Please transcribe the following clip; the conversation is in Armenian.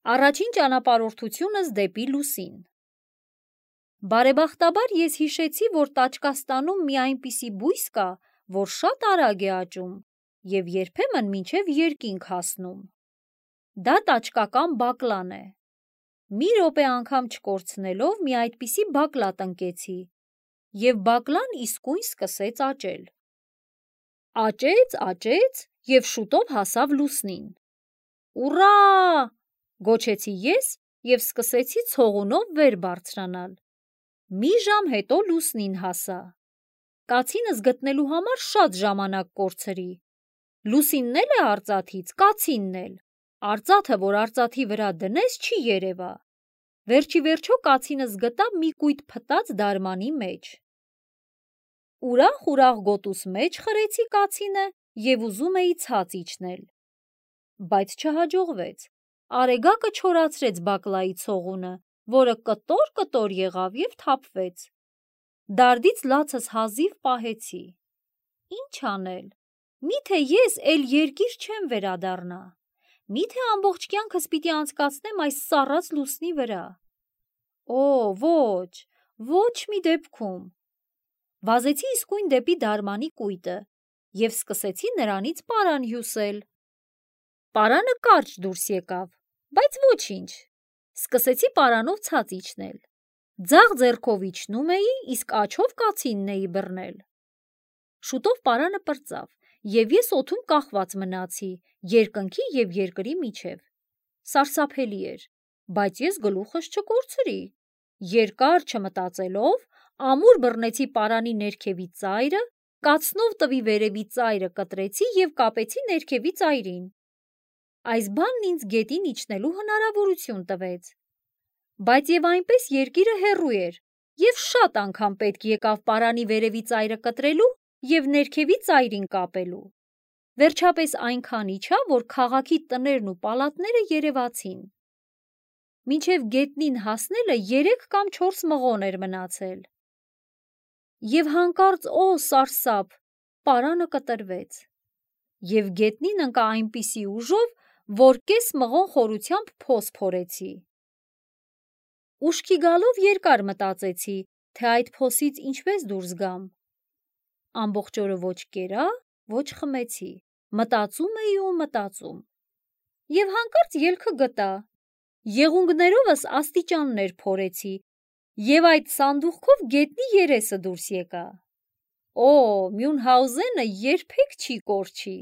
Առաջին ճանապարհորդությունս դեպի լուսին։ Բարեբախտաբար ես հիշեցի, որ Տաճկաստանում մի այնպիսի բույս կա, որ շատ արագ է աճում և երբեմն մինչև երկինք հասնում։ Դա տաճկական բակլան է։ Մի րոպե անգամ չկորցնելով մի այդպիսի բակլա տնկեցի, և բակլան իսկույն սկսեց աճել։ Աճեց և շուտով հասավ լուսնին։ Ուռա! Գոչեցի ես և սկսեցի ցողունով վեր բարձրանալ։ Մի ժամ հետո լուսնին հասա։ Կացինս գտնելու համար շատ ժամանակ կորցրի։ Լուսինն էլ է արծաթից, կացինն էլ։ Արծաթը, որ արծաթի վրա դնես, չի երևա։ Վերջիվերջո կացինս գտա մի կույտ փտած դարմանի մեջ։ Ուրախ գոտուս մեջ խրեցի կացինը և ուզում էի ցած իջնել։ Բայց չհաջողվեց։ Արեգակը չորացրեց բակլայի ցողունը, որը կտոր եղավ և թափվեց։ Դարդից լացս հազիվ պահեցի։ Ինչ անել։ Միթե ես էլ երկիր չեմ վերադառնա։ Միթե ամբողջ կյանքս պիտի անցկացնեմ այս սառած լուսնի վրա։ Օ, ոչ մի դեպքում։ Վազեցի իսկույն դեպի դարմանի կույտը և սկսեցի նրանից պարան հյուսել։ Պարանը կարճ դուրս եկավ, բայց ոչինչ։ Սկսեցի պարանով ցած իջնել։ Ձախ ձեռքով իջնում էի, իսկ աջով կացինն էի բռնել։ Շուտով պարանը պրծավ, և ես օդում կախված մնացի երկնքի և երկրի միջև։ Սարսափելի էր, բայց ես գլուխս չկորցրի։ Երկար չմտածելով, ամուր բռնեցի պարանի ներքևի ծայրը, կացնով տվի վերևի ծայրը կտրեցի և կապեցի ներքևի ծայրին։ Այս բանն ինձ գետին իջնելու հնարավորություն տվեց։ Բայց և այնպես երկիրը հեռու էր, և շատ անգամ պետք եկավ պարանի վերևի ծայրը կտրելու և ներքևի ծայրին կապելու։ Վերջապես այնքան իջա, որ քաղաքի տներն ու պալատները երևացին։ Մինչև գետնին հասնելը 3 կամ 4 մղոն էր մնացել։ Եվ հանկարծ, օ սարսափ, պարանը կտրվեց։ Եվ գետնին ընկա այնպիսի ուժով, որ կես մղոն խորությամբ փոս փորեցի։ Ուշքի գալով երկար մտածեցի, թե այդ փոսից ինչպես դուրս գամ։ Ամբողջ օրը ոչ կերա, ոչ խմեցի, մտածում էի ու մտածում։ Եվ հանկարծ ելքը գտա։ Եղունգներովս աստիճաններ փորեցի, և այդ սանդուղքով գետնի երեսը դուրս եկա։ Օ, Մյունհաուզենը երբեք չի կորչի։